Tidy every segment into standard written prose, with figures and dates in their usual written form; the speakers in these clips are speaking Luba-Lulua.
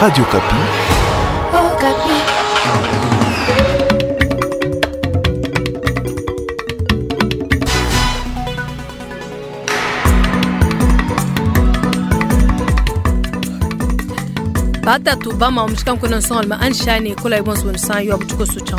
Radio Okapi. Okapi. Batatu bama omushika nkuna nsonga anshani kola ibonso bonsan yo abutuko so yetu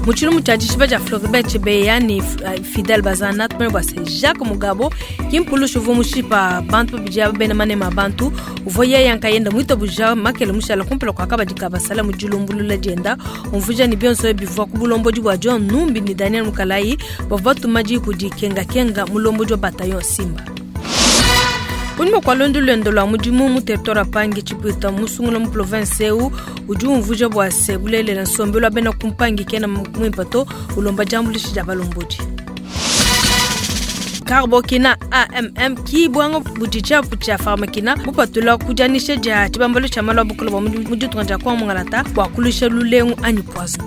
mu tshilumbu tshia dishipa dia Floribert Chebeya ne Fidel Bazana, tumanye bua se Jacques Mugabo ki mpulushi uvua mushipa bantu babidi aba bena manema a bantu, uvua yeya nkayenda muitabuja makele mushala kumpala kua kabadi ka basala mu dilumbulula dienda, umvuija ne bionso ebi bivua ku bulombodi bua John Numbi ne Daniel Mukalayi bavua batuma diyi kudi Kengakenga mulombodi wa bataillon Simba. Kunyima kua luendu luende lua mudimu mu territoire wa Pangi, Tshipuita musungula mu province eu udi umvuija bua se bulelela nsombelu wa bena ku Mpangi kena muimpe to, ulomba diambuluisha dia balombodi. Carbokina AMM ki buanga budi tshiapu tshia Pharmakina bupatula ku dianyisha dia tshibambalu tshia malu a bukole bua mu ditunga dia Kongo Mungalata bua kuluisha lulengu anyi poison.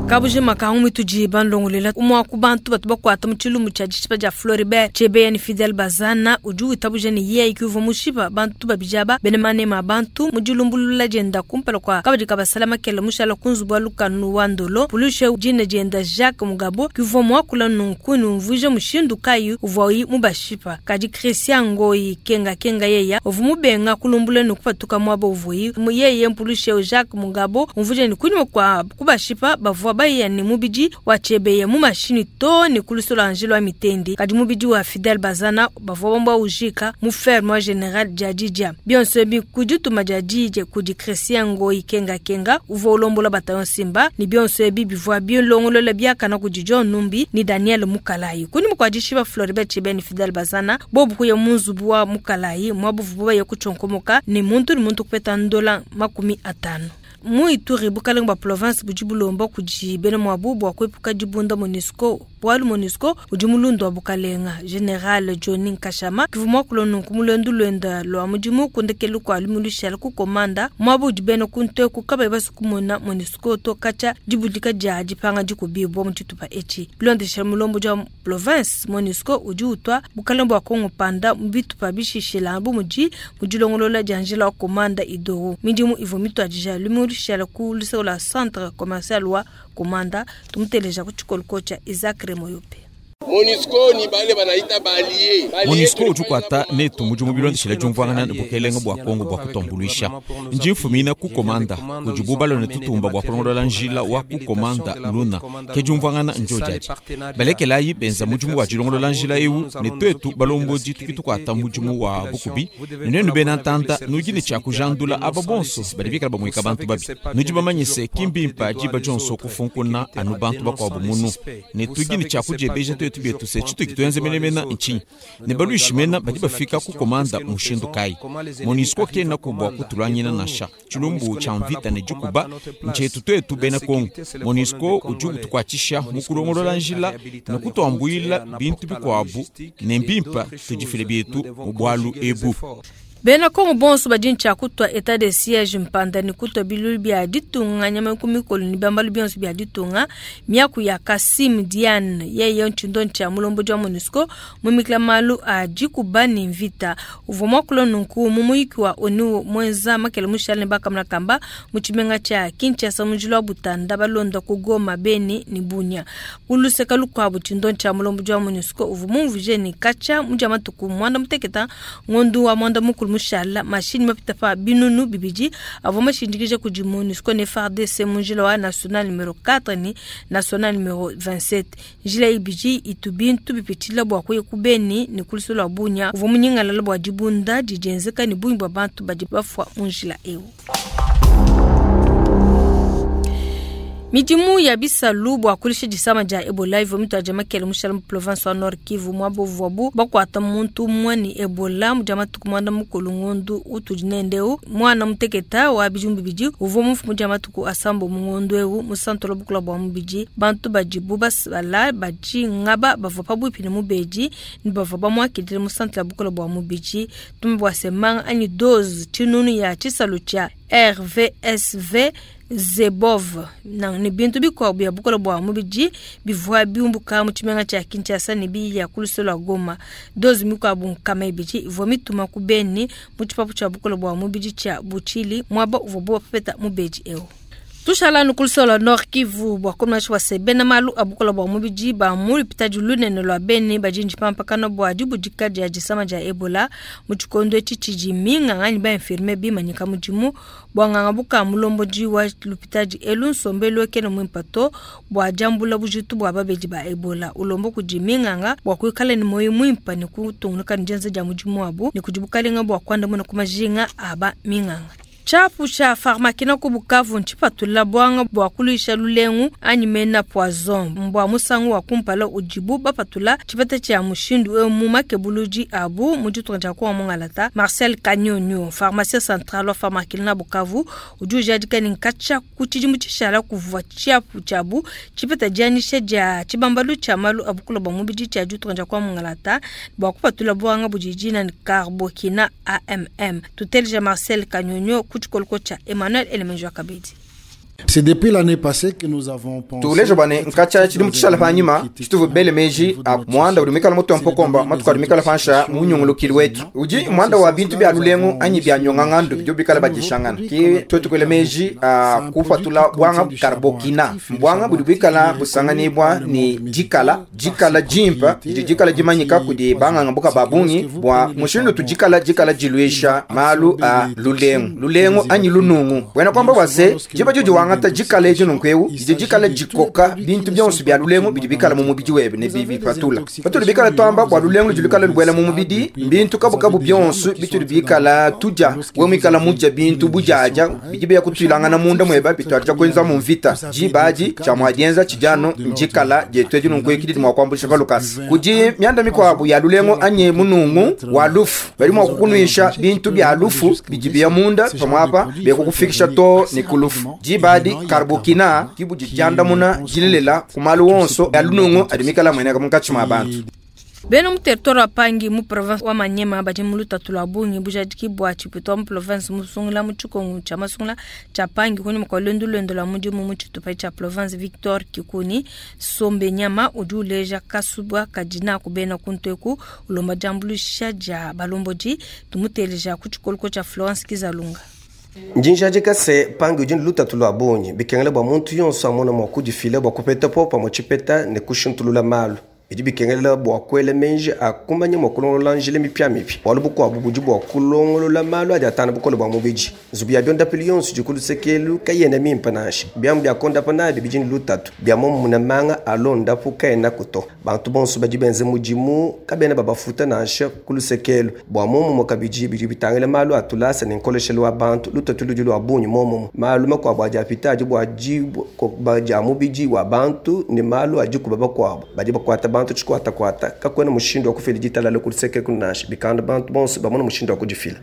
Kabujima ka ngumu itudi bandongolela umue wa ku bantu batu bakuata mu tshilumbu tshia dishipa dia Floribert Chebeya ne Fidel Bazana udi witabuja ne yeye ke uvua mushipa bantu babidi aba bena manema a bantu mu dilumbulula dienda kumpala kua kabadi ka basala makele mushala ku nzubu wa lukanu wa Ndolo. Pulushe dina dienda Jacques Mugabo ke uvua muakula nunku ne umvuija mushindu kayi uvuayi mubashipa. Kadi Christian Ngoyi Kenga Kenga yeya uvua mubenga kulumbula ne kupatuka muaba uvuayi yeye. Mpulushe Jacques Mugabo umvuija ne kunyima kua kubashipa bavua baya ne mubidi wa Chebeya mu mashinyi too ne ku lusolo lua njila wa Mitendi, kadi mubidi wa Fidel Bazana bavua bamba ujika mu ferme wa General Djadidja. Bionso ebi ku dituma dia diyi kudi Christian Ngoyi Kenga Kenga uvua ulombola bataillon Simba, ne bionso ebi bivua bilongolola biakana kudi John Numbi ne Daniel Mukalayi. Kunyima kua dishipa Floribert Chebeya ne Fidel Bazana, bobu kuya mu nzubu wa Mukalayi muaba uvuabu baya kutshionkomoka ne muntu ne muntu kupeta ndola 50. Mu Ituri, bukalenge bua province budi bulomba kudi bena muabu bua kuepuka dibunda MONUSCO, bualu MONUSCO udi mulundu wa bukalenga. General Johnny Nkashama kivua muakula nunku mu luendu luenda lua mudimu ku ndekelu kua lumingu lushala ku Komanda, muaba udi bena ku nteku kabayi basue kumona MONUSCO to katshia dibudika dia dipanga dikubibua mu tshitupa etshi. Bilondeshile mulombodi wa province, MONUSCO udi utua bukalenge bua Kongo panda mu bitupa bishishila bu mudi mu dilongolola dia njila wa Komanda Idoro. Midimu ivua mituadija lumingu lushala ku luseke lua centre commercial wa Komanda. Tumuteleja ku tshikoloko tshia Isaac Remoyope. MONUSCO ni bale banaita ba allié. MONUSCO udi ukuata netu mudimu bilondeshile diumvuangana ne bukelenge bua Kongo bua kutuambuluisha. Ndi mfumina ku Komanda kudibu balua ne tutumba bua kulongolola njila wa ku Komanda Luna. Ke diumvuangana ndio diadi. Balekelayi benza mudimu wa dilongolola njila eu ne tuetu balombodi tudi tukuata mudimu wa bukubi. Ne nuenu bena ntanda nudi ne tshia kujandula aba bonso badi bikala bamueka bantu babi. Nudi bamanye se, ki mbimpe diba dionso kufunkuna anu bantu bakuabu munu. Ne tudi ne tshia kudiebeja tuetu bietu se tshituki tuenze menemene ntshinyi, ne baluishi mena badi bafika ku Komanda mushindu kayi? MONUSCO kenaku bua kutuluangina nansha. Tshilumbu tshia mvita ne dikuba ntshietu tuetu bena Kongo. MONUSCO udi utukuatshisha mu kulongolola njila ne kutuambuila bintu bikuabu, ne mbimpe tudifile bietu mu bualu ebu. Bena Kongo bonso badi ne tshia kutua etat de siege mpanda ne kutua bilulu bia ditunga nyama ku mikolo ne biambalu bionso bia ditunga. Miaku ya Kassim Diane yeye ntshindo tshia mulombodi wa MONUSCO mumikila malu a dikuba ne mvita. Uvua muakula nunku mu muyiki wa ONU muenza makele mushale ne bakamuna kamba mu tshimenga tshia Kinshasa mu njila wa Butanda balonda ku Goma, Beni ne Bunia. Ku luseka lukuabu tshindo tshia mulombodi wa MONUSCO uvua mumvuje ne katshia mu dia matuku muanda muteketa ngondu wa muanda mukulu mushala mashini mapita pa binunu bibidi avua mashindikija kudi MONUSCO ne FARDC mu njila wa national numero 4 ne national numero 27. Njila ibidi itu bintu bipitshila bua kuya ku Beni ne ku luseke lua Bunia. Uvua munyingalala bua dibunda didienzeka ne bungi bua bantu badi bafua mu njila eu. Midimu ya bisalu bua kulisha disama dia Ebola ivua mituadija makele mushala mu province wa Nord Kivu muaba uvuabu bakuata muntu umue ne Ebola mu dia matuku muanda mukulu ngondu utudi nende eu. Muana muteketa wa bidimu bibidi uvua mufu mu dia matuku asambo mu ngondu eu mu santo la bukula bua mubidi. Bantu badibu basala badi ngaba bavua pabuipi ne mubedi ne bavua bamuakidile mu santo la bukula bua mubidi. Tumbe bua se manga anyi dose tshinunu ya tshisalu tshia RVSV Zebov ne bintu bikuabu bia bukole bua mubidi bivua biumbuka mu tshimenga tshia Kinshasa ne biya ku luse lua Goma. Doze mikuabu 200 ivua mituma ku Beni mu tshipapu tshia bukole bua mubidi tshia Buchili, muaba uvuabu bapeta mubedi eu. Tushala anu ku luse lua Nord Kivu bua kumanyisha bua se bena malu a bukole bua mubidi ba mu lupitadi lunene lua Beni badi ntshipampakana bua dibudika dia disama dia Ebola mu tshikondo etshi tshidi minganga anyi ba infirmier bimanyika mudimu bua nganga buka mulombodi wa lupitadi elu. Nsombelu kena muimpe to bua diambula bujitu bua babedi ba Ebola. Ulomba kudi minganga bua kuikala ne muoyo muimpe ne kutungunuka ne dienza dia mudimu wabu ne kudi bukalenga bua kuandamuna ku majinga a ba minganga. Tshiapu tshia Pharmakina ku Bukavu ntshipatula buanga bua kuluisha lulengu anyi mena poison. Mbua musangu wa kumpala udibu bapatula tshipeta tshia mushindu eu mu makebuludi abu mu ditunga dia Kongo Mungalata. Marcel Kanyonyo, pharmacien central wa Pharmakina Bukavu, udi ujadika ne nkatshia ku tshidimu tshishala kuvua tshiapu tshiabu tshipeta dianyisha dia tshibambalu tshia malu a bukole bua mubidi tshia ditunga dia Kongo Mungalata bua kupatula buanga budi dina ne Carbokina AMM. Tuteleja Marcel Kanyonyo ku tshikoloko tshia Emmanuel Elemenjo Kabedi. C'est depuis l'année passée que nous avons pensé. Tuleja bwane nkacha tshidimu tshishala panyima tshituvu bele meji a muanda udi muikala mutua mpokomba matuku adi muikala pansha mu nyungulukili wetu udi muanda wa bintu bia lulengu anyi bia nyongangandu bidi bikala badishangana ki twetu kuela meji a kupatula bwanga karbokina mbwanga budi buikala busanganibwa ni dikala dikala jimpa didi dikala dimanyika kudi banganga buka babungi bua mushindu tudikala dikala diluisha malu a lulengu lulengu anyi lunungu wena kwamba bwase jiba judi wangata dikala edi nunku eu didi dikala dikoka bintu bionso bia lulengu bidi bikala mu mubidi webe ne bipatula patudi bikala twamba bua lulengu ludi lukala lubuela mu mubidi mbintu kabukabu bionso bitudi bikala tudia we muikala mudia bintu bujaja bidi biya kutuilangana munda mweba bituadija kuenza mu mvita dibadi tshia muadienza tshidiano ndikala dietu edi nunku eki didi mua kuambuluisha pa lukasa kudi mianda mikuabu ya lulengu anyi munungu wa lufu badi mua kukunuisha bintu bia lufu bidi biya munda pamuapa bekukufikisha to ne ku lufu dibadi karbokina kibudi diandamuna dilelela ku malu wonso ya lunungu adi mikala mueneka munkatshi mua bantu. Bena mu territoire wa Pangi mu province wa Maniema badi mu lutatu lua bungi bujadiki bua tshipito wa mu province musungula mu tshikongu tshia masungula tshia Pangi kunyima kua luendu luende lua mudimu mu tshitupa tshia province. Victor Kikuni Sombe Nyama udi uleja kasuba kadi naku bena kuntu ulomba diambuluisha dia balombodi. Tumuteleja ku tshikoloko tshia Florence Kizalunga. Njinjadika se pangi udi lutatu lua bungi bikengela bua muntu yonso amona mua kudifila bua kupeta popa mu tshipeta ne kushintulula malu bidi bikengela bua kuela menji akumanya mua kulongolola njila mipiamipia bualu bukuabu budi bua kulongolola malu adi atana bukole bua mubidi nzubu ya biondapilu yonso idi ku lusekelu kayena mimpe nansha biamu bia kondapa nabi bidi ne lutatu bia momuna manga alondapu kayenaku to bantu bonso badi benze mudimu kabena babafuta nansha ku lusekelu bua momumue kabidi bidi bitangila malu a tulasa ne nkoleshelu wa bantu lutatu ludi lua bungi momumue malu makuabu adi apita adi bua dikuba dia mubidi wa bantu ne malu a dikuba bakuabu badi bakuata bantu tshikwatakwata kakuena mushindu wa kufila ditalala ku luseke nansha bikanda bantu bonso bamona mushindu wa kudifila.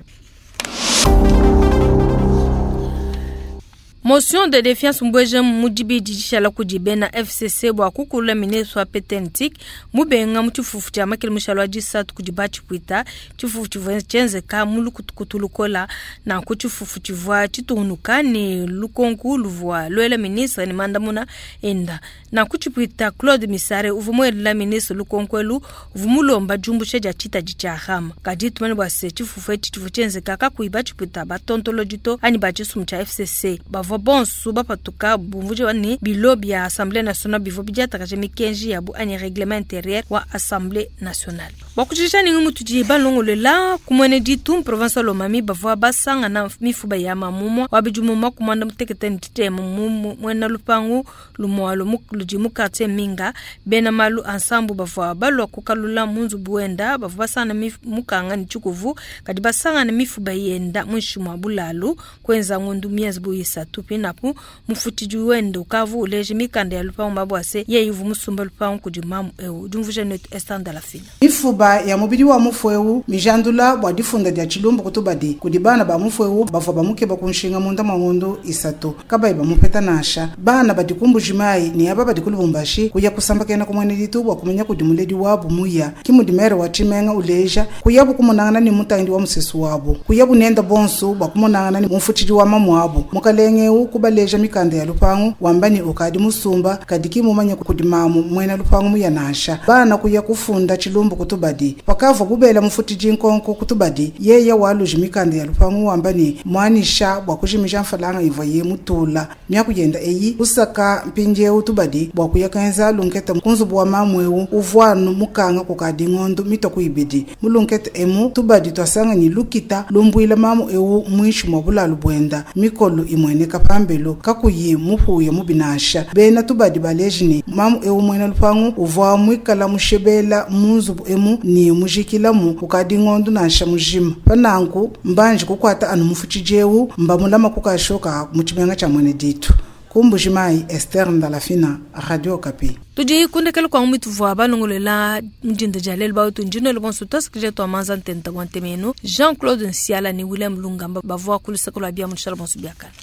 Motion de défiance mbweje mudibidi dishala kudi bena FCC bua kukulula ministre wa PTNTIC mubenga mu tshifufu tshia makele mushalo wa disatu kudi batshipwita. Tshifufu tshivua tshienzeka mu lukutukutu lukola nanku tshifufu tshivua tshitungunuka ne lukonku luvua luela ministre ne mandamuna enda. Nanku tshipwita Claude Misare uvua muelela ministre lukonku elu uvua mulomba diumbusha dia tshitadi tshia RAM. Kadi tumanye bua se tshifufu etshi tshivua tshienzeka kakuyi batshipwita batontolodi to anyi ba tshisumbu tshia FCC. Bavua bonso bapatuka bumvuja ne bilo bia Assemblée nationale bivua bidiatakaja mikenji yabu anyi règlement intérieur wa Assemblée nationale. Bua kutshisha ningi mutudi balongolela kumwene ditu province wa Lomami bavua basangana mifuba ya mamumwa wa bidimu makumanda mutekete ne tshitema mu mwena lupangu lumwalo ludi mu quartier Minga. Bena malu ansambu bavua balua kukalula mu nzubu wenda bavua basangana mukanga ne tshikuvu kadi basangana mifuba yenda muinshi mua bulalu kuenza ngondu miezi bu isatu pinapu mufutidi wenda ukavu uleje mikanda ya lupangu mabwase ye ivu musumba lupangu kudi mamu eu dimvuja netu estanda la fina. Mifuba ya mubidi wa mufu eu mijandula bua difunda dia tshilumbu kutubadi kudi bana ba mufu eu bavua bamukeba kunshinga munda mwa ngondu isatu kabayi bamupeta nansha bana badi kumbujimayi ne aba badi kulubumbashi kuya kusambakena kumwene ditu bua kumenya kudi muledi wabu muya kimudi mere wa tshimenga uleja kuyabu kumunangana ne mutangidi wa musesu wabu kuyabu nenda bonso bua kumunangana ne mufutidi wa mamu wabu mukalenge eu kubaleja mikanda ya lupangu wamba ne ukadi musumba kadi ki mumanye kudi mamu muena lupangu muya nansha. Bana kuya kufunda tshilumbu kutubadi. Pakavua bubela mufutidi nkonko kutubadi, yeye waluji mikanda ya lupangu wamba ne muanisha bua kujimija mfalanga ivua ye mutula. Miaku yenda eyi kusaka mpindieu tubadi bua kuya kenza lunkete ku nzubu wa mamu eu uvua anu mukanga kukadi ngondo mitue ku ibidi. Mu lunkete emu tubadi twasanga ne lukita lumbuila mamu eu muinshi mua bulalu buenda mikolo imueneka pambelu kakuyi mupuya mubi nansha. Bena tubadi baleji ne mamu eu muena lupangu uvua muikala mushebela mu nzubu emu ne mujikilamu kukadi ngondo nansha mujima. Pananku mbanji kukuata anu mufutshidi eu mbamulama kukashoka mu tshimenga tshia mwene ditu. Ku Mbujimayi, Esther Ndalafina, Radio Okapi. Tudi kundekela kwa mituvua balongolela mudinda dia lelu bautu ndinelo bonso twasikije twa manza ntenta bwa ntemenu Jean-Claude Nsiala ne William Lungamba bavua ku luseke lua bia mu tshishala bonso biakana.